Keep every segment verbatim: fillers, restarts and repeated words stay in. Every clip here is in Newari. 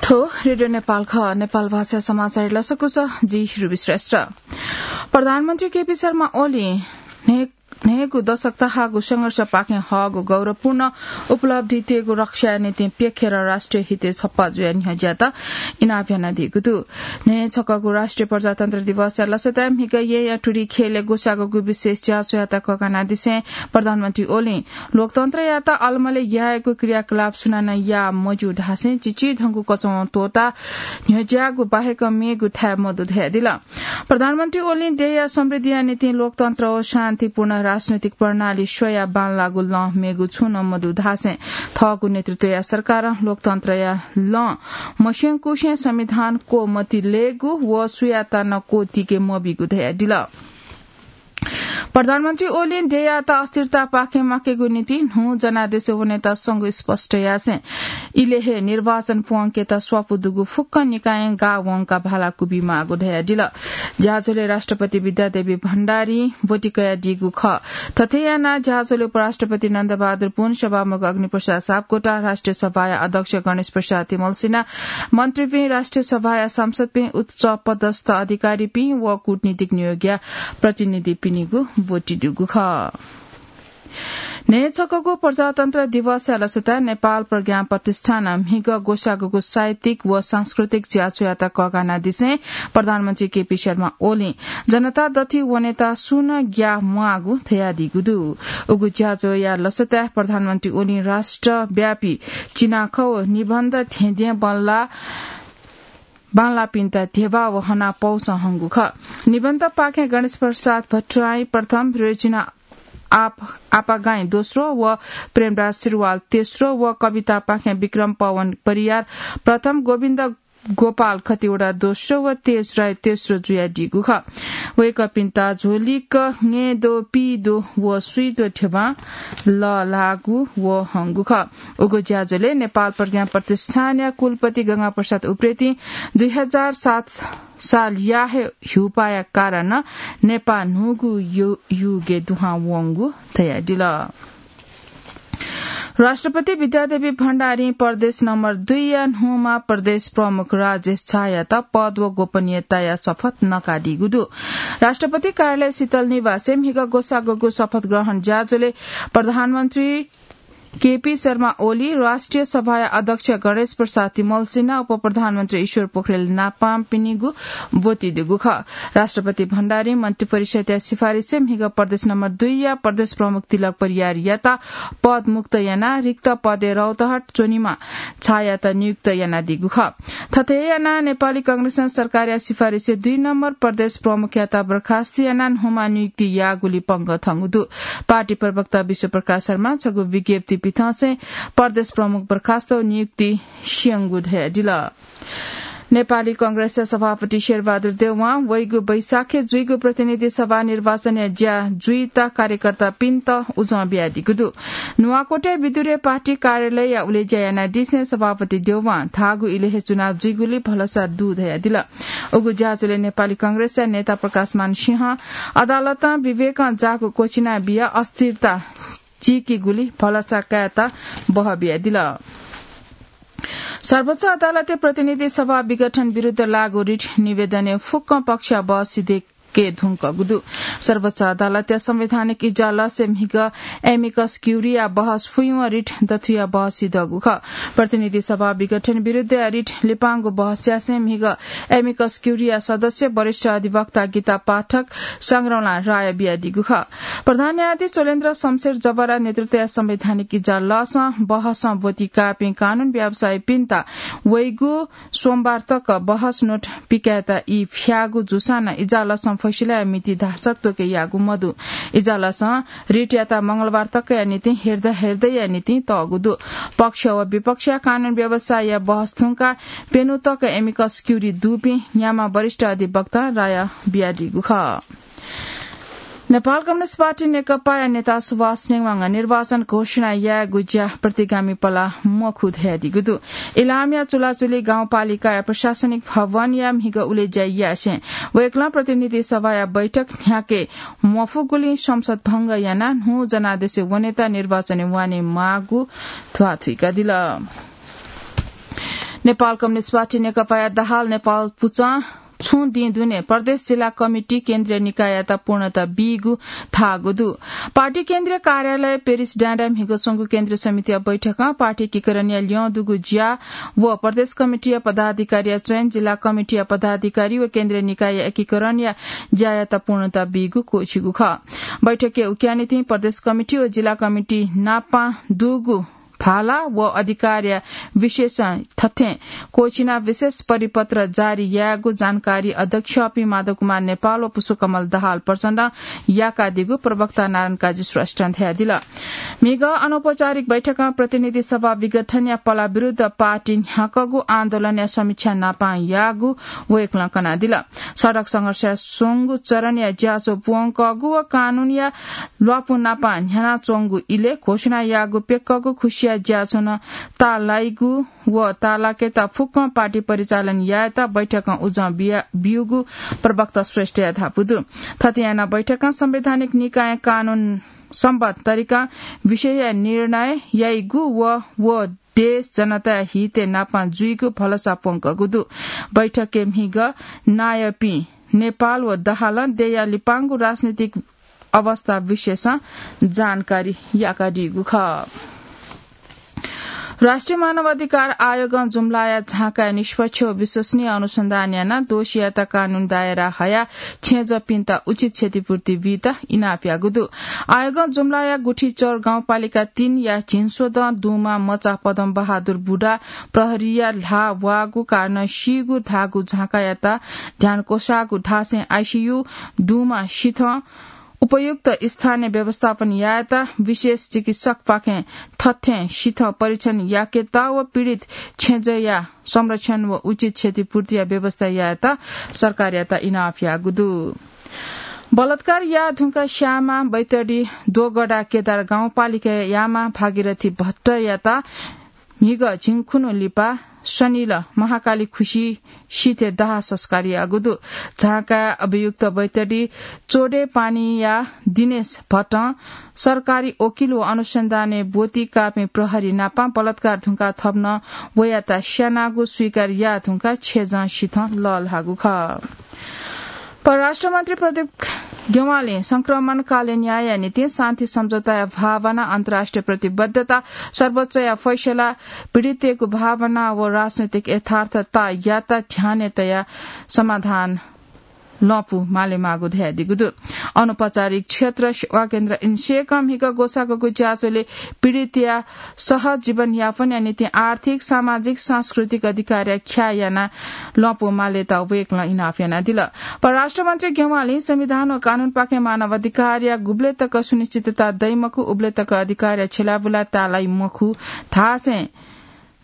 थ्व रेडियो नेपाल खः। नेपाल भाषा समाचार लसकुस, जि रुबी श्रेष्ठ। प्रधानमन्त्री केपी शर्मा ओली न्हय्-, न्हय्‌गू दशक तःहाःगु संघर्षपाखें हःगु गौरवपूर्ण उपलब्धि तयेगु रक्षाया निंतिं प्यखेर राष्ट्रिय हितय् छप्पा जुयाः न्ह्यज्याःत इनाप यानादीगु दु। न्हय् छकःगु राष्ट्रिय प्रजातन्त्र दिवसया लसताय् म्हिगः येँया टुरी ख्यलय् ग्वसाःगु विशेष ज्याझ्वःयात कःघानादिसें प्रधानमन्त्री ओलीं लोकतन्त्रयात अलमलय् यायेगु क्रियाकलाप सुनानं याः मज्यू धासें चिचिधंगु कचवं त्वःताः न्ह्यज्याःगु बाहेक मेगु थाय् मदु धयादिल। प्रधानमन्त्री ओलीं देय्‌या समृद्धिया निंतिं लोकतन्त्र व शान्तिपूर्ण राजनैतिक प्रणाली स्वयाः बांलाःगु लँ मेगु छुं नं मदु धासें थःगु नेतृत्वया सरकारं लोकतन्त्रया लँ मस्यंकुसें संविधान क्वमति लयेगु व सुयातं नं क्वतिके मबीगु धयादिल। प्रधानमन्त्री ओलीं देय्‌यात अस्थिरतापाखें म्वाकेगु निंतिं न्हू जनादेशय् वनेत संघ स्पष्ट यासें इलय् हे निर्वाचन प्वंकेत स्वापू दुगु फुक्क निकायं गाः वंकाः भाला कुबी माःगु धयादिल। ज्याझ्वलय् राष्ट्रपति विद्यादेवी भण्डारीं ब्वति कयादीगु खः। थथे यानाः ज्याझ्वलय् उपराष्ट्रपति नन्दबहादुर पुन, सभामुख अग्निप्रसाद सापकोटा, राष्ट्रिय सभाया अध्यक्ष गणेश प्रसाद तिमल्सिना, मन्त्रीपिं, राष्ट्रिय सभाया सांसदपिं, उच्च पदस्थ अधिकारीपिं व कूटनीतिक नियोगया प्रतिनिधिपिनिगु ब्वति दुगु खः। न्हय् छकःगु प्रजातन्त्र दिवसया लसताय् नेपाल प्रज्ञा प्रतिष्ठानं म्हिगः ग्वसाःगु साहित्यिक व सांस्कृतिक ज्याझ्वःयात कःघानादिसें प्रधानमन्त्री केपी शर्मा ओलीं जनता दथुइ वनेत सुं नं ग्याः म्वाःगु धयादीगु दु। उगु ज्याझ्वःया लसताय् प्रधानमन्त्री ओलीं राष्ट्रव्यापी चिनाखँ व निबन्ध थेंद्यँ बल्ला बांलाःपिन्त ध्यबा व हनापौसं हंगु खः। निबन्धपाखें गणेश प्रसाद भट्टराई प्रथम, रोजिना आप-, आपागाई दोस्रो व प्रेमराज सिरुवाल तेस्रो व कवितापाखें विक्रम पवन परियार प्रथम, गोविन्द गोपाल खतिवडा दोस्रो व तेज राय तेस्रो जुयादीगु खः। वय्‌कःपिन्त झोलिक ङय्‌द्वः, पीद्वः व स्वीद्वः ध्यबां लःल्हाःगु व हंगु खः। उगु ज्याझ्वलय् नेपाल प्रज्ञा प्रतिष्ठानया कुलपति गंगा प्रसाद उप्रेतीं दुई हजार सात सालया हे ह्युपाया कारणं नेपाः न्हूगु यु-, युगय् दुहां वंगु धयादिल। राष्ट्रपति विद्यादेवी भण्डारीं प्रदेश नम्बर दुईया न्हूम्ह प्रदेश प्रमुख राजेश झायात पद व गोपनीयताया शपथ नकादीगु दु। राष्ट्रपति कार्यालय शीतल निवासय् म्हिगः ग्वसाःगु शपथ ग्रहण ज्याझ्वलय् प्रधानमन्त्री केपी शर्मा ओली, राष्ट्रिय सभाया अध्यक्ष गणेश प्रसाद तिमल्सिना, उपप्रधानमन्त्री ईश्वर पोखरेल नापांपिनिगु ब्वति दुगु खः। राष्ट्रपति भण्डारीं मन्त्रिपरिषदया सिफारिसय् म्हिगः प्रदेश नम्बर दुईया प्रदेश प्रमुख तिलक परियारयात पदमुक्त यानाः रिक्त पदय् रौतहट च्वनीम्ह झायात नियुक्त यानादीगु खः। थथे यानाः नेपाली कांग्रेसं सरकारया सिफारिसय् दुई नम्बर प्रदेश प्रमुखयात बर्खास्त यानाः न्हूम्ह नियुक्ति याःगुली पंगः थंगु दु। पार्टी प्रवक्ता विश्वप्रकाश शर्मां छगू विज्ञप्ति पिथंसें प्रदेश प्रमुख बर्खास्त व नियुक्ति स्यंगु धयादिल। नेपाली कांग्रेसया सभापति शेरबहादुर देउवां वइगु वैशाखय् जुइगु प्रतिनिधि सभा निर्वाचनया ज्या जुइत कार्यकर्तापिन्त उजं बियादीगु दु। नुवाकोटय् विदुरे पार्टी कार्यालयया उलेज्या यानादिसें सभापति देउवां धाःगु इलय् हे चुनाव जुइगुली भलसा दु धयादिल। उगु ज्याझ्वलय् नेपाली कांग्रेसया नेता प्रकाशमान सिंहं अदालतं विवेकं जाःगु क्वचिना बियाः अस्थिरता चीकीगुली भलसा कायेत बह बियादिल। सर्वोच्च अदालतय् प्रतिनिधि सभा विघटन विरुद्ध लाःगु रिट निवेदनय् फुक्कं पक्षया बहस सिधय्के धुंकूगु दु। सर्वोच्च अदालतया संवैधानिक इजलासय् म्हिगः amicus curiae बहस फुइवं रिट दथुया बहस सिधःगु खः। प्रतिनिधि सभा विघटन विरुद्धया रिट लिपांगु बहस यासें म्हिगः amicus curiae सदस्य वरिष्ठ अधिवक्ता गीता पाठक संग्रौलां राय बियादीगु खः। प्रधान न्यायाधीश चोलेन्द्र शमशेर जबरा नेतृत्वया संवैधानिक इजलासं बहसं ब्वति काःपिं कानून व्यवसायीपिन्त वइगु सोमबार तक बहस नोट पिकायेत ई फ्याःगु जूसां नं इजलासं फैसलाया मिति धाःसा त्वःके याःगु मदु। इजलासं रिटयात मंगलबार तकया निंतिं हेर्दा हेर्दैया निंतिं तःगु दु। पक्ष व विपक्षया कानून व्यवसायीया बहस थुंकाः प्यन्हु तक amicus curiae दुपिं न्याम्ह वरिष्ठ अधिवक्तां राय बियादीगु खः। नेपाल कम्युनिस्ट पार्टी नेकपाया नेता सुभाष नेवाङ निर्वाचन घोषणा यायेगु ज्या प्रतिगामी पलाः मखु धयादीगु दु। इलामया चुलाचुली गाउँपालिकाया प्रशासनिक भवनया म्हिगः उलेज्या यासें वय्कलं प्रतिनिधि सभाया बैठक न्ह्याके मफुगुलिं संसद भंग यानाः न्हू जनादेशय् वनेत निर्वाचनय् वनेमाःगु ध्वाथुइकादिल। नेपाल कम्युनिस्ट पार्टी नेकपाया दाहाल नेपाल पुचं छुं दिं दुने प्रदेश जिल्ला कमिटी केन्द्रीय निकाययात पूर्णता बीगु धाःगु दु। पार्टी केन्द्रीय कार्यालय पेरिस डाँडाय् म्हिगः च्वंगु केन्द्रीय समितिया बैठकं पार्टी एकीकरणया ल्यं दुगु ज्या व प्रदेश कमिटीया पदाधिकारीया चयन, जिल्ला कमिटीया पदाधिकारी व केन्द्रीय निकायया एकीकरणया ज्यायात पूर्णता बीगु क्वःछिगु खः। बैठकय् उकिया निंतिं प्रदेश कमिटी व जिल्ला कमिटी नापं दुगु भाला व अधिकारया विशेषं थथें क्वःछिनाः विशेष परिपत्र जारी यायेगु जानकारी अध्यक्ष अपि माधव कुमार नेपाल व पुष्पकमल दाहाल प्रचण्डं याकादीगु प्रवक्ता नारायण काजी श्रेष्ठं धयादिल। म्हिगः अनौपचारिक बैठकं प्रतिनिधि सभा विघटनया पला विरुद्ध पार्टी न्ह्याकःगु आन्दोलनया समीक्षा नापं याःगु वय्कलं कनादिल। सडक संघर्षया स्वंगू चरणया ज्याझ्वः प्वंकःगु व कानूनया ल्वापु नापं न्ह्यानाच्वंगु इलय् घोषणा याःगु प्यक्कःगु खुसिया ज्याझ्वः नं ताःलाइगु व ताःलाकेत फुक्कं पार्टी परिचालन यायेत बैठकं उजं बिया-, ब्यूगु प्रवक्ता श्रेष्ठया धापू दु। थथे यानाः बैठकं संवैधानिक निकायं कानून सम्बद्ध तरिकां विषयया निर्णय याइगु व, व देश जनताया हितय् नापं जुइगु भलसा प्वंकःगु दु। बैठकय् म्हिगः नायःपिं नेपाल व दाहालं देय्‌या लिपांगु राजनीतिक अवस्था विषयसं जानकारी याकादीगु खः। राष्ट्रिय मानव अधिकार आयोगं जुम्लाया झाँकाय् निष्पक्ष व विश्वसनीय अनुसन्धान यानाः दोषीयात कानूनी दायरा हयाः छेँजःपिन्त उचित क्षतिपूर्ति बीत इनाप याःगु दु। आयोगं जुम्लाया गुठीचौर गाउँपालिका तीनया झिंस्वदँ दुमा मचा पदम बहादुर बुढा प्रहरीया ल्हाः वाःगु कारणं सीगु धाःगु झाँकायात ध्यान क्वसाःगु धासें आइसियु दुमा सिथं उपयुक्त स्थानीय व्यवस्थापन यायेत विशेष चिकित्सकपाखें थथें सिथं परीक्षण याकेत व पीडित छेँजःया संरक्षण व उचित क्षतिपूर्तिया व्यवस्था यायेत सरकारयात इनाप याःगु दु। बलात्कार याः धुंकाः स्याःम्ह बैतडी दोगडा केदार गाउँपालिकायाम्ह भागीरथी भट्टयात म्हिगः झिंखुन्हु लिपा शनिल महाकाली खुसी सिथय् दाह संस्कार याःगु दु। झाँकाय् अभियुक्त बैतडी चोडे पानीया दिनेश भट्टं सरकारी वकिल व अनुसन्धानय् ब्वति काःपिं प्रहरी नापं बलात्कार धुंकाः थप नं वयात स्यानागु स्वीकार याः धुंकाः छेँजः सिथं लःल्हाःगु खः। परराष्ट्र मन्त्री प्रदीप ग्यवालीं संक्रमणकालीन न्यायया निंतिं शान्ति सम्झौताया भावना, अन्तर्राष्ट्रिय प्रतिबद्धता, सर्वोच्चया फैसला, पीडितय्‌गु भावना व राजनैतिक यथार्थतायात ध्यानय् तयाः समाधान लँपु मालेमाःगु धयादीगु दु। अनौपचारिक क्षेत्र सेवा केन्द्र इन्सेकं म्हिगः ग्वसाःगु ज्याझ्वलय् पीडितया सहज जीवनयापनया निंतिं आर्थिक, सामाजिक, सांस्कृतिक अधिकारया ख्याः यानाः लँपु मालेत वय्कलं इनाप यानादिल। परराष्ट्र मन्त्री ग्यवालीं संविधान व कानूनपाखें मानव अधिकारया गुबलय् तक सुनिश्चितता दइ मखु, उबलय् तक अधिकारया छ्यलाबुला ताःलाइ मखु धासें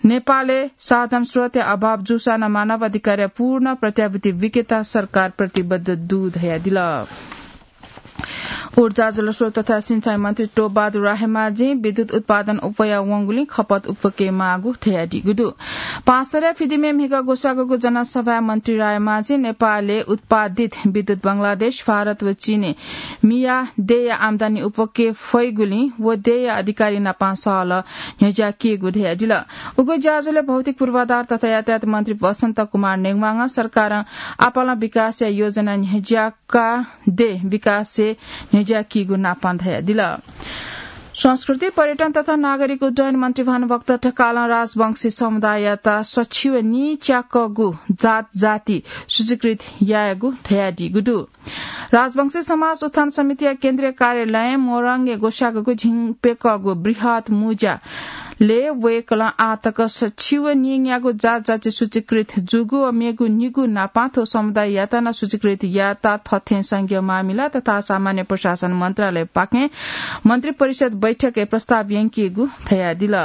नेपालय् साधन स्रोतया अभाव जूसां नं मानव अधिकारया पूर्ण प्रत्याभूति बीकेत सरकार प्रतिबद्ध दु धयादिल। ऊर्जा, जलस्रोत तथा सिँचाइ मन्त्री टोपबहादुर रायमाझीं विद्युत उत्पादन अप्वया वंगुलिं खपत अप्वके माःगु धयादीगु दु। पाँचथरया फिदिमय् म्हिगः ग्वसाःगु जनसभाय् मन्त्री रायमाझीं नेपालय् उत्पादित विद्युत बंगलादेश, भारत व चीनय् मियाः देय्‌या आम्दानी अप्वके फइगुलिं व देय्‌या अधिकारी नापं सहलह न्ह्यज्याकीगु धयादिल। उगु ज्याझ्वलय् भौतिक पूर्वाधार तथा यातायात मन्त्री बसन्त कुमार नेवाःं सरकारं आपालं विकासया योजना न्ह्यज्याकाः देय् विकासय् न्ह्यज्याकीगु नापं धयादिल। संस्कृति, पर्यटन तथा नागरिक उड्डयन मन्त्री भानुभक्त ढकालं राजवंशी समुदाययात सछि व नीच्याकःगु जात जाति सूचीकृत यायेगु धयादीगु दु। राजवंशी समाज उत्थान समितिया केन्द्रीय कार्यालयं मोरङय् ग्वसाःगु झिंप्यकःगु बृहत् मुज्यालय् वय्कलं आः तक सछि व नीन्यागू जात जाति सूचीकृत जूगु व मेगु निगू नापं थ्व समुदाययात नं सूचीकृत यायेत थथें संघीय मामिला तथा सामान्य प्रशासन मन्त्रालयपाखें मन्त्री परिषद बैठकय् प्रस्ताव यंकीगु धयादिल।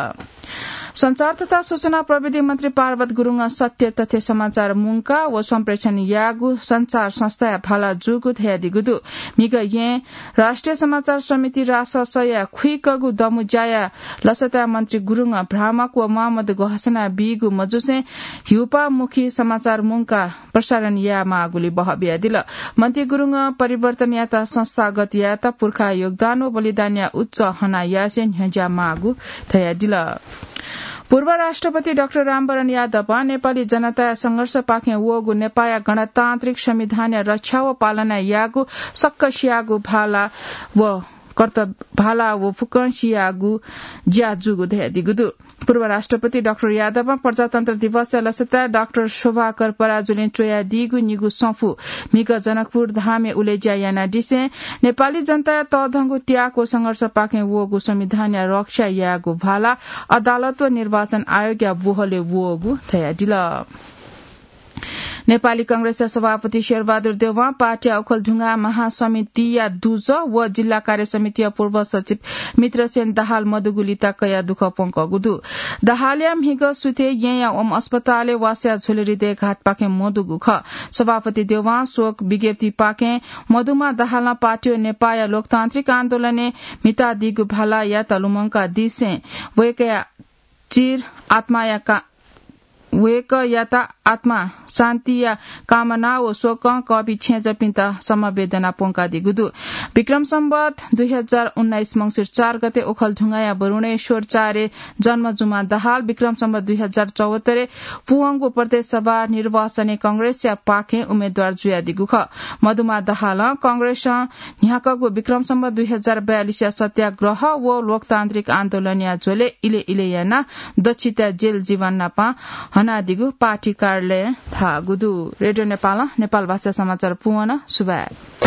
सञ्चार तथा सूचना प्रविधि मन्त्री पार्वत गुरुङं सत्य तथ्य समाचार मुंकाः व सम्प्रेषण याःगु सञ्चार संस्थाया भाला जूगु धयादीगु दु। म्हिगः येँ राष्ट्रिय समाचार समिति राससया खुइकःगु दमु ज्याया लसताय् मन्त्री गुरुङं भ्रामक व म्वाःमदु घोषणा बीगु मजूसें ह्युपामुखी समाचार मुंकाः प्रसारण यायेमाःगुलि बहः बियादिल। मन्त्री गुरुङं परिवर्तनयात संस्थागत यायेत पुर्खा योगदान व बलिदानया उच्च हना यासें न्ह्यज्याःमाःगु धयादिल। पूर्व राष्ट्रपति डाक्टर रामवरण यादवं नेपाली जनताया संघर्षपाखें वःगु नेपाःया गणतान्त्रिक संविधानया रक्षा व पालना यायेगु सक्कसियागु भाला व कर्त-, भाला व फुक्कसियागु ज्या जूगु धयादीगु दु। पूर्व राष्ट्रपति डाक्टर यादवं प्रजातन्त्र दिवसया लसताय् डाक्टर शोभाकर पराजुलीं च्वयादीगु निगू सफू म्हिगः जनकपुर धामय् उलेज्या यानादिसें नेपाली जनताया तःधंगु त्याग व संघर्षपाखें वःगु संविधानया रक्षा यायेगु भाला अदालत व निर्वाचन आयोगया बोहलय् वःगु धयादिल। नेपाली कांग्रेसया सभापति शेरबहादुर देउवां पार्टीया ओखलढुङ्गा महासमितिया दुजः व जिल्ला कार्य समितिया पूर्व सचिव मित्रसेन दाहाल मदुगु लिता कयाः दुःख प्वंकःगु दु। दाहालया म्हिगः सुथय् येँया ओम अस्पतालय् वासः जुयाः हृदयघातपाखें मदुगु खः। सभापति देउवां शोक विज्ञप्तिपाखें मदुमा दाहालं पार्टी व नेपाःया लोकतान्त्रिक आन्दोलनय् म्हितादीगु भालायात लुमंकादिसें वय्कःया चिर आत्माया का-, वय्कःयात आत्मा शान्तिया कामना व शोकं कःपिं छेँजःपिन्त समवेदना प्वंकादीगु दु। विक्रम सम्बत दुई हजार उन्नाइस मंसिर चार गते ओखलढुङ्गाया वरुणेश्वर चारे जन्म जुमा दाहाल विक्रम सम्बत दुई हजार चौहत्तरय् पूवंगु प्रदेश सभा निर्वाचनय् कांग्रेसया पाखें उम्मेदवार जुयादीगु खः। मदुमा दाहालं कांग्रेसं न्ह्याकःगु विक्रम सम्बत दुई हजार बयालिसया सत्याग्रह व लोकतान्त्रिक आन्दोलनया झ्वलय् इले इले यानाः दच्छि तयाः जेल जीवन नाप हनादीगु पार्टी कार्यालयं धाःगु दु। रेडियो नेपालं नेपाल भाषा समाचार पूवन। सुभाय्।